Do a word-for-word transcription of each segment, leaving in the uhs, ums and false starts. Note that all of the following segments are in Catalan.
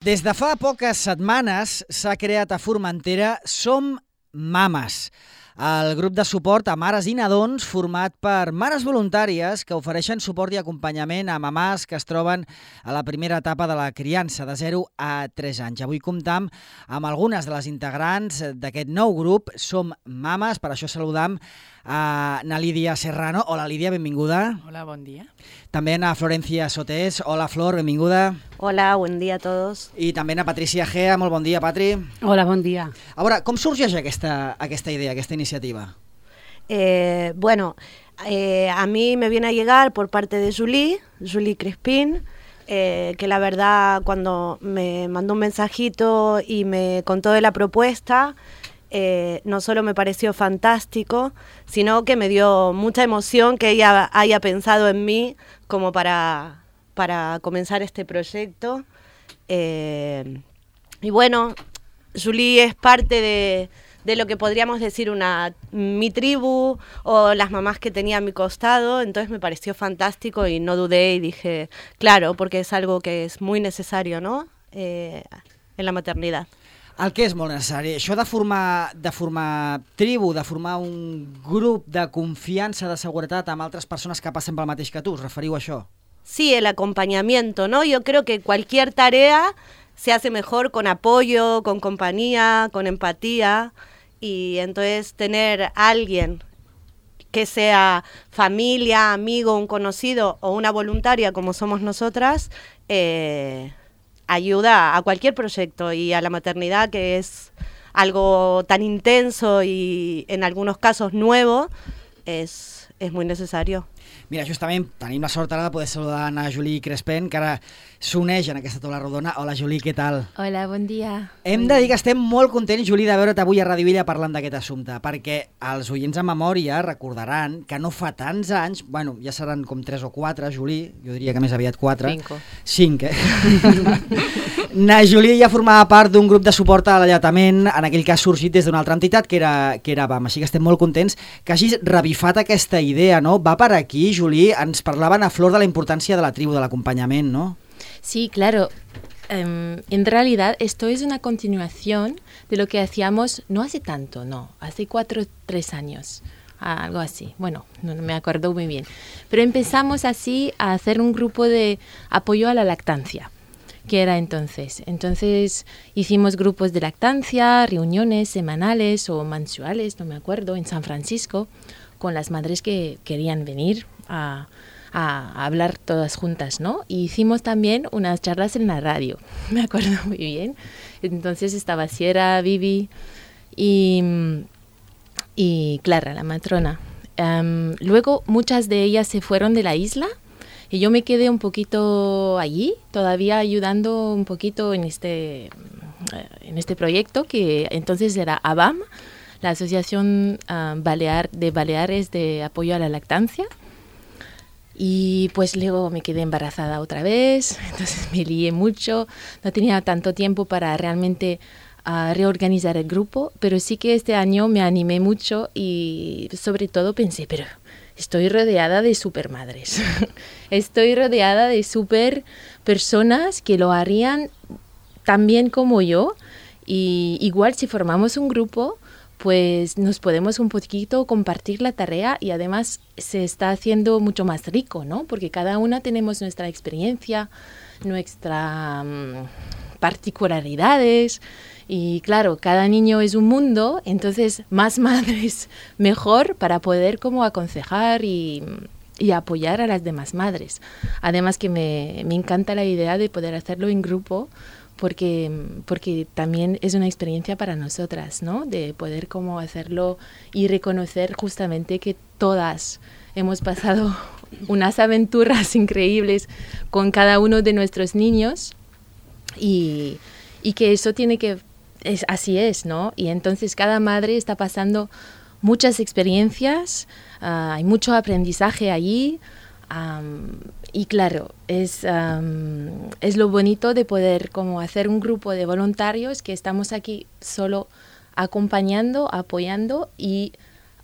Des de fa poques setmanes s'ha creat a Formentera Som Mames, el grup de suport a mares i nadons format per mares voluntàries que ofereixen suport i acompanyament a mamàs que es troben a la primera etapa de la criança, de zero a tres anys. Avui comptam amb algunes de les integrants d'aquest nou grup, Som Mames. Per això saludam a na Lídia Serrano. Hola, Lídia, benvinguda. Hola, bon dia. També a Florencia Sotés. Hola, Flor, benvinguda. Hola, buen dia a todos. I també a Patricia Gea. Molt bon dia, Patri. Hola, bon dia. A veure, com sorgeix aquesta, aquesta idea, aquesta iniciativa? Eh, bueno, eh, a mí me viene a llegar por parte de Julie, Julie Crespín, eh, que la verdad cuando me mandó un mensajito y me contó de la propuesta, eh, no solo me pareció fantástico, sino que me dio mucha emoción que ella haya pensado en mí como para, para comenzar este proyecto. Eh, y bueno, Julie es parte de... de lo que podríamos decir una mi tribu o las mamás que tenía a mi costado, entonces me pareció fantástico y no dudé y dije, claro, porque es algo que es muy necesario, ¿no? Eh, en la maternidad. El que és molt necessari, això de formar, de formar tribu, de formar un grup de confiança, de seguretat amb altres persones que passen pel mateix que tu, us referiu a això? Sí, el acompañamiento, ¿no? Yo creo que cualquier tarea se hace mejor con apoyo, con compañía, con empatía, y entonces tener a alguien que sea familia, amigo, un conocido o una voluntaria como somos nosotras, eh, ayuda a cualquier proyecto y a la maternidad, que es algo tan intenso y en algunos casos nuevo, es, es muy necesario. Mira, justament tenim la sort ara de poder saludar a na Julie Crespín, que ara s'uneix en aquesta taula rodona. Hola, Julie, què tal? Hola, bon dia. Hem de dir que estem molt contents, Julie, de veure't avui a Ràdio Villa parlant d'aquest assumpte, perquè els oients en memòria recordaran que no fa tants anys, bueno, ja seran com tres o quatre, Julie, jo diria que més aviat quatre. Cinco. Cinc, eh? Na Julie ja formava part d'un grup de suport a l'alletament, en aquell cas sorgit des d'una altra entitat, que era, que era B A M, així que estem molt contents que hagis revifat aquesta idea, no? Va per aquí, Julie, ens parlaven a Flor de la importància de la tribu, de l'acompanyament, ¿no? Sí, claro. Um, en realidad esto es una continuación de lo que hacíamos no hace tanto, no, hace cuatro o tres años, algo así. Bueno, no, no me acuerdo muy bien. Pero empezamos así a hacer un grupo de apoyo a la lactancia, que era entonces. Entonces hicimos grupos de lactancia, reuniones semanales o mensuales, no me acuerdo, en San Francisco, con las madres que querían venir a, a hablar todas juntas, ¿no? Y hicimos también unas charlas en la radio, me acuerdo muy bien. Entonces estaba Sierra, Vivi y, y Clara, la matrona. Um, luego muchas de ellas se fueron de la isla y yo me quedé un poquito allí, todavía ayudando un poquito en este, en este proyecto, que entonces era A B A M, la Asociación uh, Balear, de Baleares de Apoyo a la Lactancia. Y pues luego me quedé embarazada otra vez, entonces me lié mucho, no tenía tanto tiempo para realmente uh, reorganizar el grupo, pero sí que este año me animé mucho y sobre todo pensé, pero estoy rodeada de supermadres, estoy rodeada de super personas que lo harían tan bien como yo, y igual si formamos un grupo, pues nos podemos un poquito compartir la tarea y además se está haciendo mucho más rico, ¿no? Porque cada una tenemos nuestra experiencia, nuestras um, particularidades y claro, cada niño es un mundo, entonces más madres mejor para poder como aconsejar y, y apoyar a las demás madres. Además que me, me encanta la idea de poder hacerlo en grupo, porque, porque también es una experiencia para nosotras, ¿no? De poder como hacerlo y reconocer justamente que todas hemos pasado unas aventuras increíbles con cada uno de nuestros niños y, y que eso tiene que, es, así es, ¿no? Y entonces cada madre está pasando muchas experiencias, uh, hay mucho aprendizaje allí. Um, y claro, es, um, es lo bonito de poder como hacer un grupo de voluntarios que estamos aquí solo acompañando, apoyando y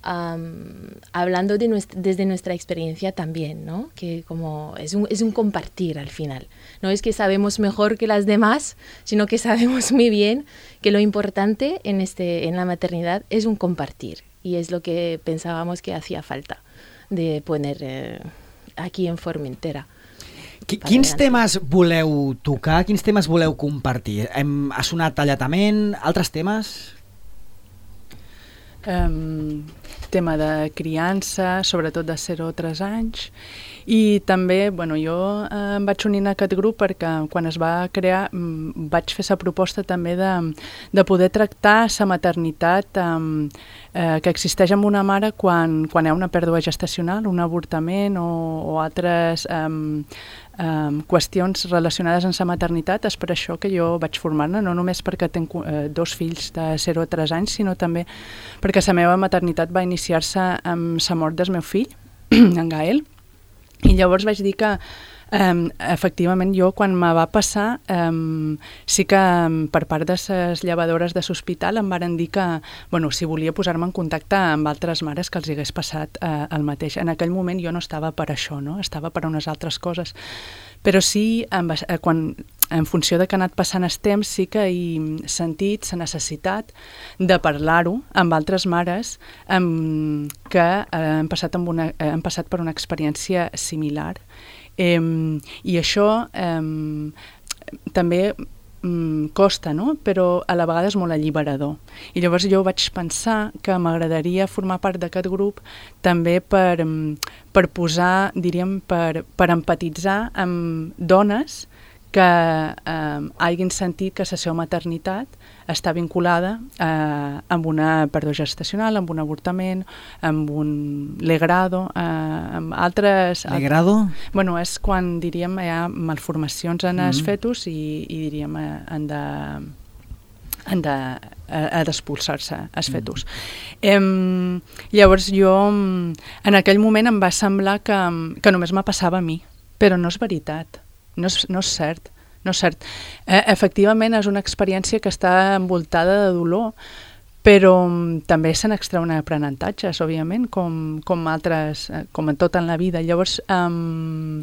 um, hablando de nuestra, desde nuestra experiencia también, ¿no? Que como es un, es un compartir al final. No es que sabemos mejor que las demás, sino que sabemos muy bien que lo importante en, este, en la maternidad es un compartir. Y es lo que pensábamos que hacía falta de poner eh, aquí en Formentera. Quins temes voleu tocar? Quins temes voleu compartir? Hem, ha sonat tallatament? Altres temes? Um, tema de criança, sobretot de zero a tres anys, i també, bueno, jo eh, em vaig unir a aquest grup perquè quan es va crear m, vaig fer la proposta també de, de poder tractar la maternitat um, eh, que existeix amb una mare quan, quan hi ha una pèrdua gestacional, un avortament o, o altres um, um, qüestions relacionades amb la maternitat. És per això que jo vaig formar-ne, no només perquè tinc eh, dos fills de zero a tres anys, sinó també perquè la meva maternitat va iniciar-se amb la mort del meu fill, en Gael. I llavors vaig dir que um, efectivament jo quan me va passar um, sí que um, per part de les llevadores de l'hospital em varen dir que bueno, si volia posar-me en contacte amb altres mares que els hagués passat uh, el mateix. En aquell moment jo no estava per això, no? Estava per unes altres coses, però sí em va, eh, quan, en funció de que ha anat passant el temps sí que he sentit la necessitat de parlar-ho amb altres mares um, que eh, han, passat amb una, eh, han passat per una experiència similar. Eh, I això eh, també mm, costa, no? Però a la vegada és molt alliberador. I llavors jo vaig pensar que m'agradaria formar part d'aquest grup també per, per posar, diríem, per, per empatitzar amb dones que eh, hagin sentit que la seva maternitat està vinculada eh, amb una pèrdua gestacional, amb un avortament, amb un legrado, eh, amb altres... Legrado? Alt... Bueno, és quan, diríem, hi ha malformacions en mm-hmm. els fetus i, i diríem, eh, han de... han de, ha d'expulsar-se els fetus. Mm. Eh, llavors jo, en aquell moment em va semblar que, que només me passava a mi, però no és veritat. No és, no és cert, no és cert. Eh, efectivament és una experiència que està envoltada de dolor, però um, també se n'extreuen aprenentatges, òbviament, com, com altres, eh, com en tot en la vida. Llavors, um,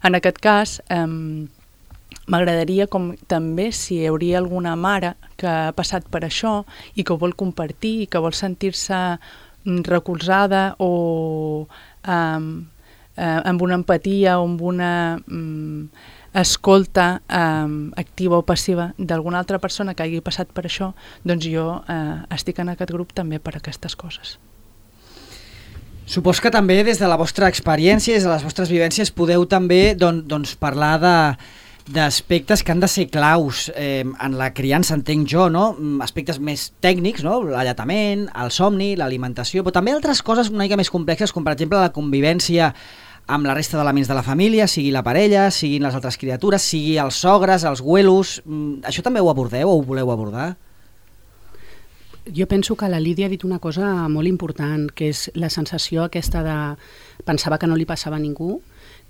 en aquest cas, um, m'agradaria com també si hi hauria alguna mare que ha passat per això i que ho vol compartir i que vol sentir-se recolzada o um, eh, amb una empatia o amb una... Um, escolta eh, activa o passiva d'alguna altra persona que hagi passat per això, doncs jo eh, estic en aquest grup també per aquestes coses. Supos que també des de la vostra experiència, des de les vostres vivències, podeu també don, doncs, parlar de d'aspectes que han de ser claus eh, en la criança, entenc jo, no? Aspectes més tècnics, no? L'alletament, el somni, l'alimentació, però també altres coses una mica més complexes, com per exemple la convivència amb la resta d'elements de la família, sigui la parella, siguin les altres criatures, sigui els sogres, els güelos... Això també ho abordeu o ho voleu abordar? Jo penso que la Lídia ha dit una cosa molt important, que és la sensació aquesta de pensava que no li passava a ningú.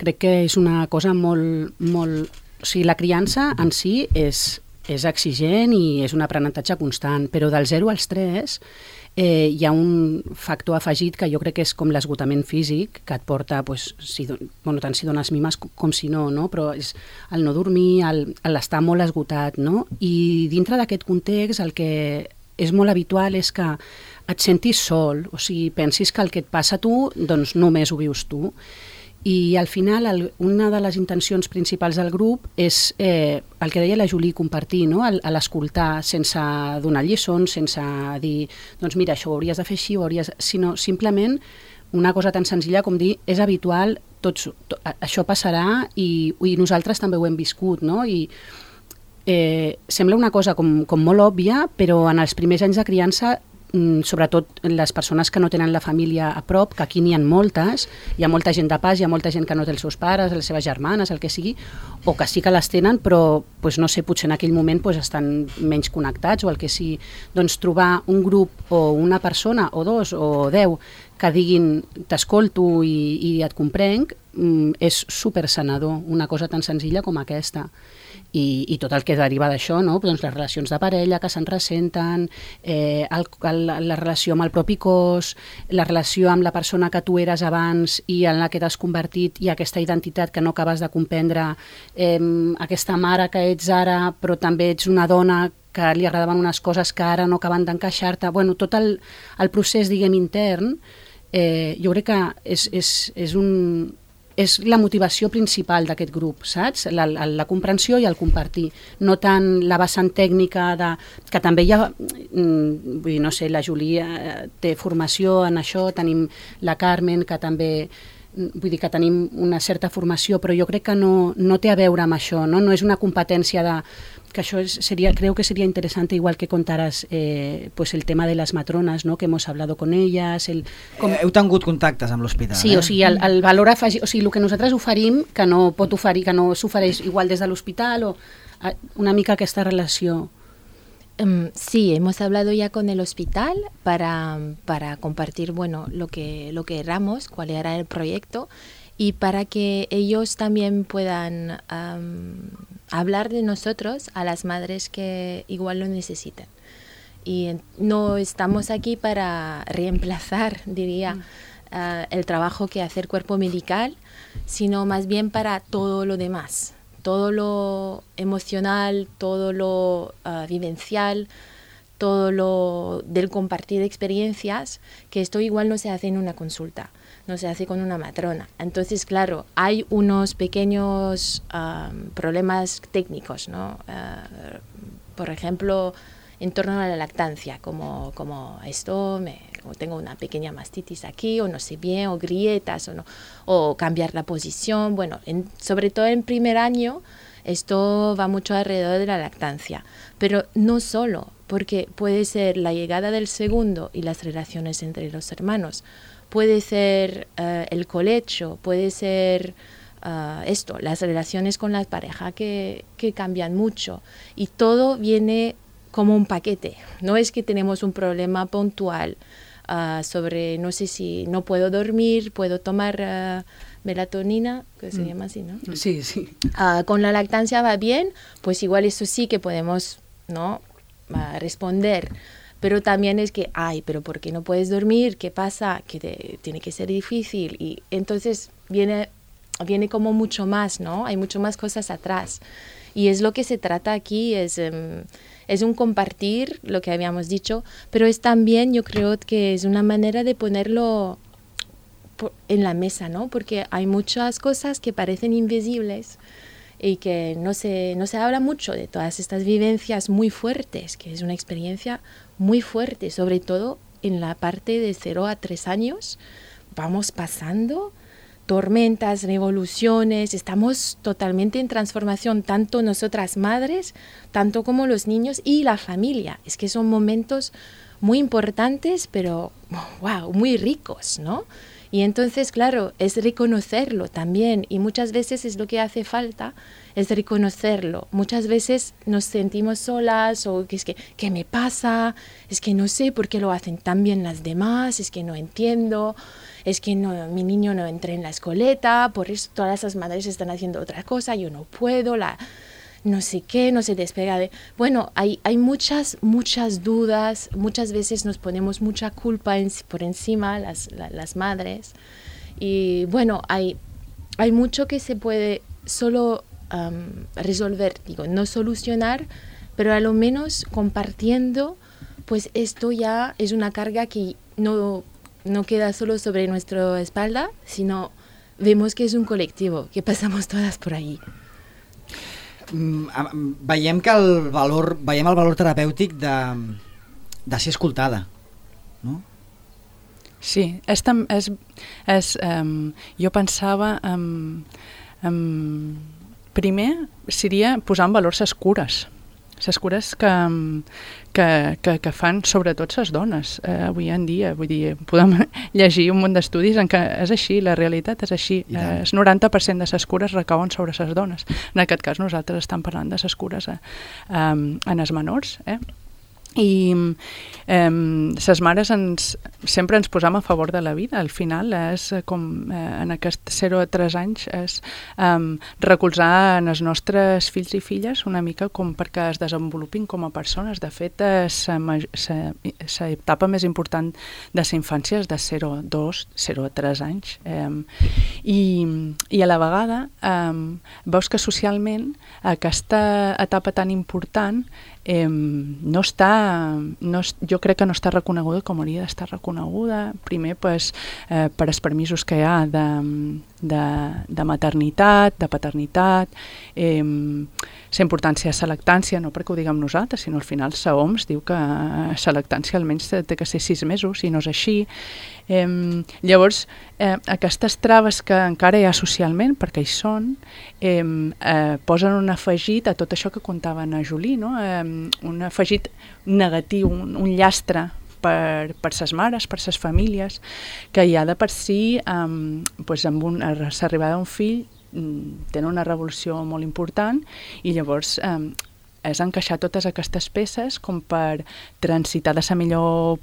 Crec que és una cosa molt... molt... O sigui, la criança en si és, és exigent i és un aprenentatge constant, però del zero als tres eh, hi ha un factor afegit que jo crec que és com l'esgotament físic, que et porta, pues, si, bueno, tant si dones mimes com, com si no, no? Però és el no dormir, l'estar molt esgotat, no? I dintre d'aquest context el que és molt habitual és que et sentis sol, o sigui, pensis que el que et passa a tu, doncs només ho vius tu. I al final el, una de les intencions principals del grup és eh, el que deia la Julie, compartir, no? L'escoltar sense donar lliçons, sense dir, doncs mira, això ho hauries de fer així, ho hauries... sinó simplement una cosa tan senzilla com dir, és habitual, tots, to, això passarà i, i nosaltres també ho hem viscut, no? I eh, sembla una cosa com, com molt òbvia, però en els primers anys de criança, sobretot les persones que no tenen la família a prop, que aquí n'hi ha moltes, hi ha molta gent de pas, hi ha molta gent que no té els seus pares, les seves germanes, el que sigui, o que sí que les tenen, però pues, no sé, potser en aquell moment pues, estan menys connectats o el que sigui. Doncs trobar un grup o una persona o dos o deu que diguin t'escolto i, i et comprenc és super sanador, una cosa tan senzilla com aquesta. i, i tot el que deriva d'això, no? Doncs les relacions de parella que se'n ressenten, eh, el, el, la relació amb el propi cos, la relació amb la persona que tu eres abans i en la que t'has convertit, i aquesta identitat que no acabes de comprendre, eh, aquesta mare que ets ara però també ets una dona que li agradaven unes coses que ara no acaben d'encaixar-te. Bueno, tot el, el procés, diguem, intern, eh, jo crec que és, és, és, un, és la motivació principal d'aquest grup, saps? La, la, la comprensió i el compartir. No tant la vessant tècnica, de, que també hi ha, vull dir, no sé, la Júlia té formació en això, tenim la Carmen, que també... Vull dir que tenim una certa formació, però jo crec que no, no té a veure amb això, no? No és una competència de... que això es, sería, creo que sería interesante igual que contaras eh, pues el tema de las matronas, ¿no? Que hemos hablado con ellas. El, com... Heu tingut contactes amb l'hospital, sí, eh? o sigui, el, el valor afegit, o sigui, el que nosaltres oferim, que no pot oferir, que no s'ofereix igual des de l'hospital, o una mica aquesta relació. Um, sí, hemos hablado ya con el hospital para, para compartir, bueno, lo que, lo que éramos, cuál era el proyecto, y para que ellos también puedan um, hablar de nosotros a las madres que igual lo necesitan. Y no estamos aquí para reemplazar, diría, uh, el trabajo que hace el cuerpo medical, sino más bien para todo lo demás. Todo lo emocional, todo lo uh, vivencial, todo lo del compartir experiencias, que esto igual no se hace en una consulta, no se hace con una matrona. Entonces, claro, hay unos pequeños um, problemas técnicos, ¿no? Uh, por ejemplo, en torno a la lactancia, como, como esto, me, como tengo una pequeña mastitis aquí, o no sé bien, o grietas, o, no, o cambiar la posición. Bueno, en, sobre todo en primer año, esto va mucho alrededor de la lactancia. Pero no solo, porque puede ser la llegada del segundo y las relaciones entre los hermanos, puede ser uh, el colecho, puede ser uh, esto, las relaciones con la pareja que, que cambian mucho. Y todo viene como un paquete. No es que tenemos un problema puntual uh, sobre, no sé si no puedo dormir, puedo tomar uh, melatonina, que se mm. llama así, ¿no? Sí, sí. Uh, con la lactancia va bien, pues igual eso sí que podemos, ¿no? Uh, responder. Pero también es que, ay, pero ¿por qué no puedes dormir? ¿Qué pasa? Que te, tiene que ser difícil. Y entonces viene, viene como mucho más, ¿no? Hay mucho más cosas atrás. Y es lo que se trata aquí, es, um, es un compartir, lo que habíamos dicho, pero es también, yo creo que es una manera de ponerlo por, en la mesa, ¿no? Porque hay muchas cosas que parecen invisibles y que no se, no se habla mucho de todas estas vivencias muy fuertes, que es una experiencia muy fuerte, sobre todo en la parte de cero a tres años. Vamos pasando tormentas, revoluciones, estamos totalmente en transformación, tanto nosotras madres, tanto como los niños y la familia. Es que son momentos muy importantes, pero wow, muy ricos, ¿no? Y entonces, claro, es reconocerlo también, y muchas veces es lo que hace falta, es reconocerlo. Muchas veces nos sentimos solas, o que es que, ¿qué me pasa? Es que no sé por qué lo hacen tan bien las demás, es que no entiendo, es que no, mi niño no entra en la escoleta, por eso todas esas madres están haciendo otra cosa, yo no puedo, la... no sé qué, no se despega de... Bueno, hay, hay muchas, muchas dudas, muchas veces nos ponemos mucha culpa en, por encima, las, la, las madres, y bueno, hay, hay mucho que se puede solo um, resolver, digo, no solucionar, pero a lo menos compartiendo, pues esto ya es una carga que no, no queda solo sobre nuestra espalda, sino vemos que es un colectivo, que pasamos todas por ahí. Veiem que el valor, veiem el valor terapèutic de, de ser escoltada, no? Sí, és, és, és, um, jo pensava, um, um, primer seria posar en valor ses cures, ses cures que, que, que, que fan sobretot ses dones eh, avui en dia. Vull dir, podem llegir un munt d'estudis en què és així, la realitat és així. Eh, el noranta per cent de ses cures recauen sobre ses dones. En aquest cas nosaltres estem parlant de ses cures eh, um, en els menors. Eh? i eh, ses mares ens, sempre ens posam a favor de la vida. Al final és com eh, en aquests zero a tres anys és eh, recolzar en els nostres fills i filles una mica com perquè es desenvolupin com a persones. De fet, l'etapa més important de la infància és de zero a dos, zero a tres anys. Eh, i, I a la vegada eh, veus que socialment aquesta etapa tan important Eh, no està, no, jo crec que no està reconeguda com hauria d'estar reconeguda. Primer, pues, eh, per els permisos que hi ha de, de, de maternitat, de paternitat, eh, la importància de la lactància, no perquè ho diguem nosaltres, sinó al final la O M S diu que la lactància almenys té que ser sis mesos, i no és així. Eh, llavors, eh, aquestes traves que encara hi ha socialment, perquè hi són, eh, eh, posen un afegit a tot això que contava a Julie, no? Eh, un afegit negatiu, un, un llastre per, per ses mares, per ses famílies, que ja de per si, um, pues amb un, l'arribada d'un fill, um, tenen una revolució molt important, i llavors um, és encaixar totes aquestes peces com per transitar de la millor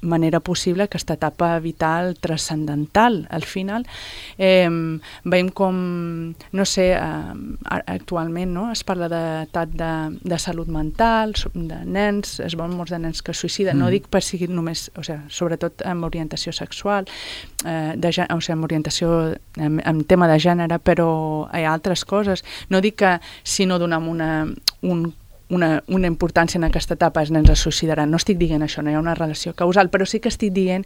manera possible aquesta etapa vital transcendental. Al final eh, veiem com, no sé, eh, actualment no? Es parla d'edat de, de salut mental, de nens, es veuen molts de nens que es suïciden, mm. no dic per sigui només, o sigui, sobretot amb orientació sexual, eh, de, o sigui, amb orientació, en, en tema de gènere, però hi ha altres coses. No dic que si no donem una, un Una, una importància en aquesta etapa els nens es suïcidaran. No estic dient això, no hi ha una relació causal, però sí que estic dient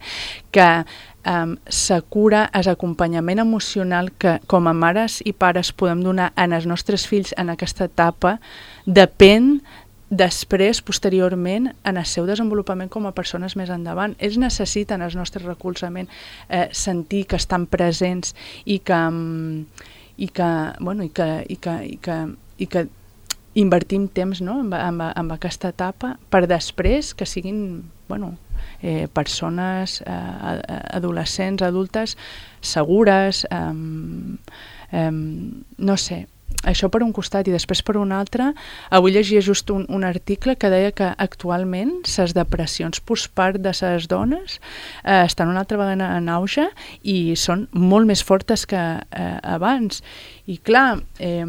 que um, la cura, és acompanyament emocional que com a mares i pares podem donar en els nostres fills en aquesta etapa, depèn després, posteriorment, en el seu desenvolupament com a persones més endavant. Ells necessiten el nostre recolzament, eh, sentir que estan presents i que, i que, bueno, i que, i que, i que, i que invertim temps, no? en, en, en aquesta etapa per després que siguin bueno, eh, persones eh, adolescents, adultes segures, eh, eh, no sé, això per un costat, i després per un altre. Avui llegia just un, un article que deia que actualment les depressions postpart de les dones eh, estan una altra vegada en auge i són molt més fortes que eh, abans. I clar, eh,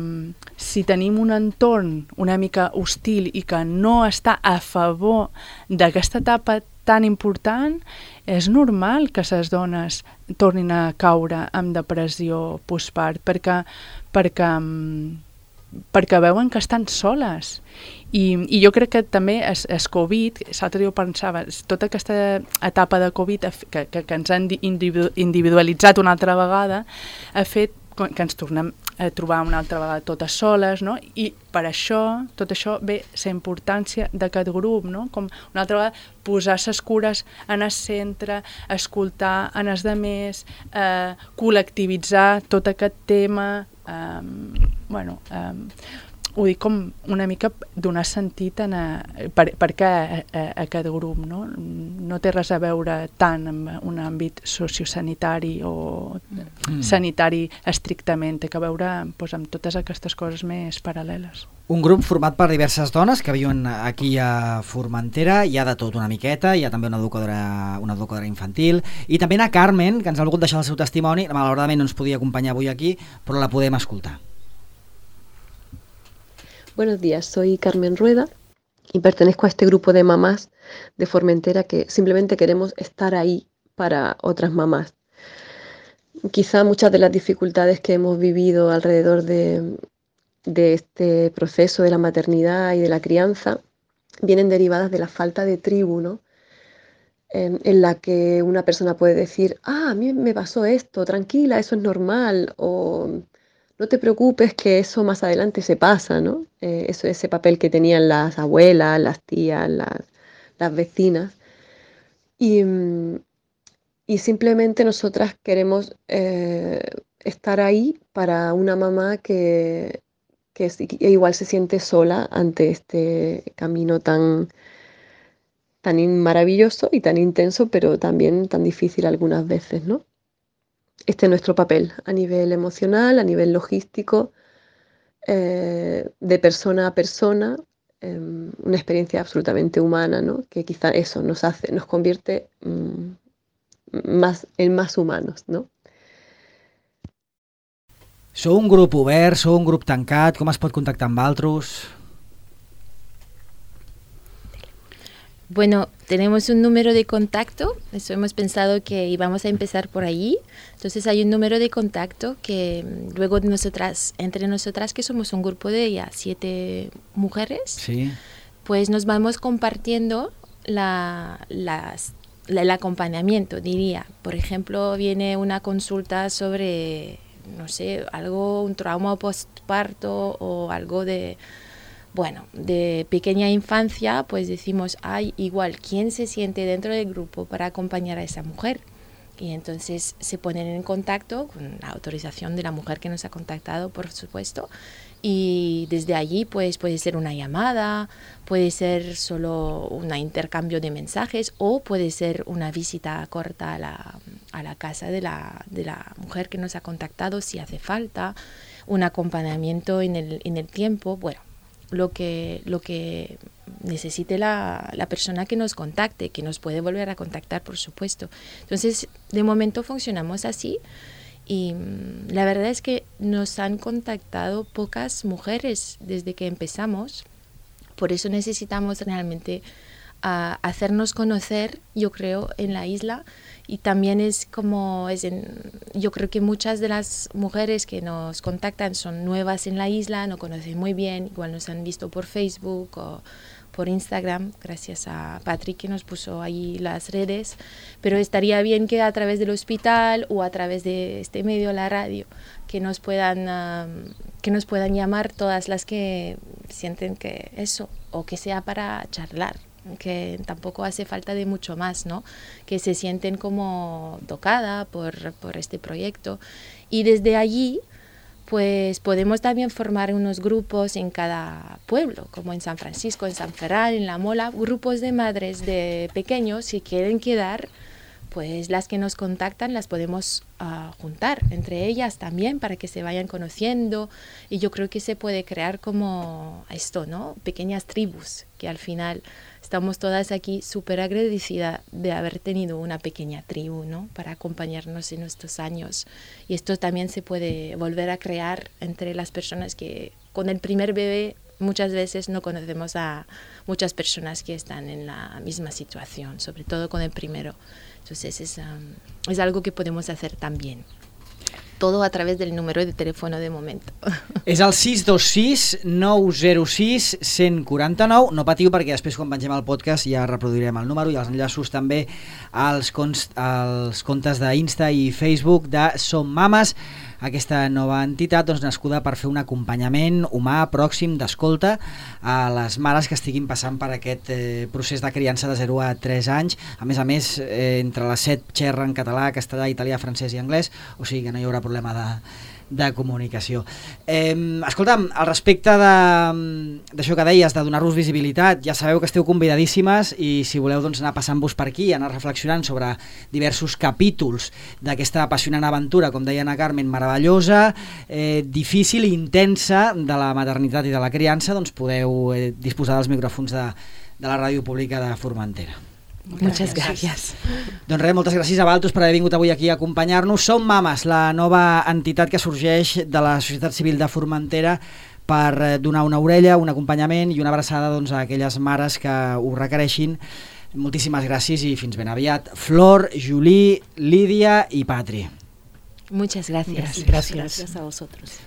si tenim un entorn una mica hostil i que no està a favor d'aquesta etapa tan important, és normal que les dones tornin a caure en depressió postpart, perquè, perquè, perquè veuen que estan soles. I, i jo crec que també el, el Covid, l'altre dia ho pensava, tota aquesta etapa de Covid que, que, que ens han individualitzat una altra vegada, ha fet que ens tornem a trobar una altra vegada totes soles, no? I per això, tot això ve la importància d'aquest grup, no? Com una altra vegada posar les cures en el centre, escoltar en els demés, eh, col·lectivitzar tot aquest tema, eh, bueno, eh, ho dic com una mica donar sentit en a, per, per què a, a, a aquest grup, no? No té res a veure tant amb un àmbit sociosanitari o mm. sanitari estrictament, té que veure doncs, amb totes aquestes coses més paral·leles. Un grup format per diverses dones que viuen aquí a Formentera, hi ha de tot una miqueta, hi ha també una educadora, una educadora infantil, i també a Carmen, que ens ha volgut deixar el seu testimoni, malauradament no ens podia acompanyar avui aquí, però la podem escoltar. Buenos días, soy Carmen Rueda y pertenezco a este grupo de mamás de Formentera que simplemente queremos estar ahí para otras mamás. Quizá muchas de las dificultades que hemos vivido alrededor de, de este proceso de la maternidad y de la crianza vienen derivadas de la falta de tribu, ¿no? En, en la que una persona puede decir, ah, a mí me pasó esto, tranquila, eso es normal, o no te preocupes que eso más adelante se pasa, ¿no? Eh, eso es ese papel que tenían las abuelas, las tías, las, las vecinas. Y, y simplemente nosotras queremos eh, estar ahí para una mamá que, que igual se siente sola ante este camino tan, tan maravilloso y tan intenso, pero también tan difícil algunas veces, ¿no? Este es nuestro papel a nivel emocional, a nivel logístico, eh, de persona a persona, eh, una experiencia absolutamente humana, ¿no? Que quizá eso nos hace, nos convierte mmm, más, en más humanos, ¿no? Sou un grup obert, sou un grup tancat, com es pot contactar amb altres? Bueno, tenemos un número de contacto, eso hemos pensado que íbamos a empezar por allí. Entonces hay un número de contacto que luego nosotras, entre nosotras, que somos un grupo de ya siete mujeres, sí. Pues nos vamos compartiendo la, las, la, el acompañamiento, diría. Por ejemplo, viene una consulta sobre, no sé, algo, un trauma postparto o algo de... Bueno, de pequeña infancia, pues decimos, ay, igual, ¿quién se siente dentro del grupo para acompañar a esa mujer? Y entonces se ponen en contacto, con la autorización de la mujer que nos ha contactado, por supuesto, y desde allí pues puede ser una llamada, puede ser solo un intercambio de mensajes o puede ser una visita corta a la, a la casa de la, de la mujer que nos ha contactado si hace falta, un acompañamiento en el, en el tiempo, bueno. Lo que, lo que necesite la, la persona que nos contacte, que nos puede volver a contactar, por supuesto. Entonces, de momento funcionamos así y mmm, la verdad es que nos han contactado pocas mujeres desde que empezamos. Por eso necesitamos realmente uh, hacernos conocer, yo creo, en la isla. Y también es como, es en, yo creo que muchas de las mujeres que nos contactan son nuevas en la isla, no conocen muy bien, igual nos han visto por Facebook o por Instagram, gracias a Patrick que nos puso ahí las redes, pero estaría bien que a través del hospital o a través de este medio, la radio, que nos puedan, um, que nos puedan llamar todas las que sienten que eso, o que sea para charlar, que tampoco hace falta de mucho más, ¿no? Que se sienten como tocada por, por este proyecto y desde allí pues podemos también formar unos grupos en cada pueblo, como en San Francisco, en San Ferran, en La Mola, grupos de madres de pequeños que quieren quedar, pues las que nos contactan las podemos uh, juntar entre ellas también para que se vayan conociendo y yo creo que se puede crear como esto, ¿no? Pequeñas tribus que al final estamos todas aquí súper agradecidas de haber tenido una pequeña tribu, ¿no? Para acompañarnos en estos años. Y esto también se puede volver a crear entre las personas que con el primer bebé muchas veces no conocemos a muchas personas que están en la misma situación, sobre todo con el primero. Entonces es, um, es algo que podemos hacer también. Todo a través del número de teléfono de momento. És el sis dos sis nou zero sis cent quaranta-nou. No patiu perquè després quan pengem el podcast ja reproduirem el número i els enllaços també als, const, als comptes d'Insta i Facebook de Som Mames, aquesta nova entitat doncs, nascuda per fer un acompanyament humà, pròxim, d'escolta a les mares que estiguin passant per aquest eh, procés de criança de zero a tres anys. A més a més, eh, entre les set xerren català, castellà, italià, francès i anglès, o sigui que no hi haurà problema de, de comunicació. Eh, escolta'm, al respecte d'això que deies, de donar-vos visibilitat, ja sabeu que esteu convidadíssimes i si voleu doncs, anar passant-vos per aquí, anar reflexionant sobre diversos capítols d'aquesta apassionant aventura, com deia Ana Carmen, meravellosa, eh, difícil i intensa de la maternitat i de la criança, doncs podeu eh, disposar dels micròfons de, de la ràdio pública de Formentera. Muchas gracias. Doncs res, moltes gràcies a Valtos per haver vingut avui aquí a acompanyar-nos. Som Mames, la nova entitat que sorgeix de la societat civil de Formentera per donar una orella, un acompanyament i una abraçada doncs, a aquelles mares que ho requereixin. Moltíssimes gràcies i fins ben aviat. Flor, Julie, Lídia i Patri. Muchas gracias. Gracias. Gracias a vosotros.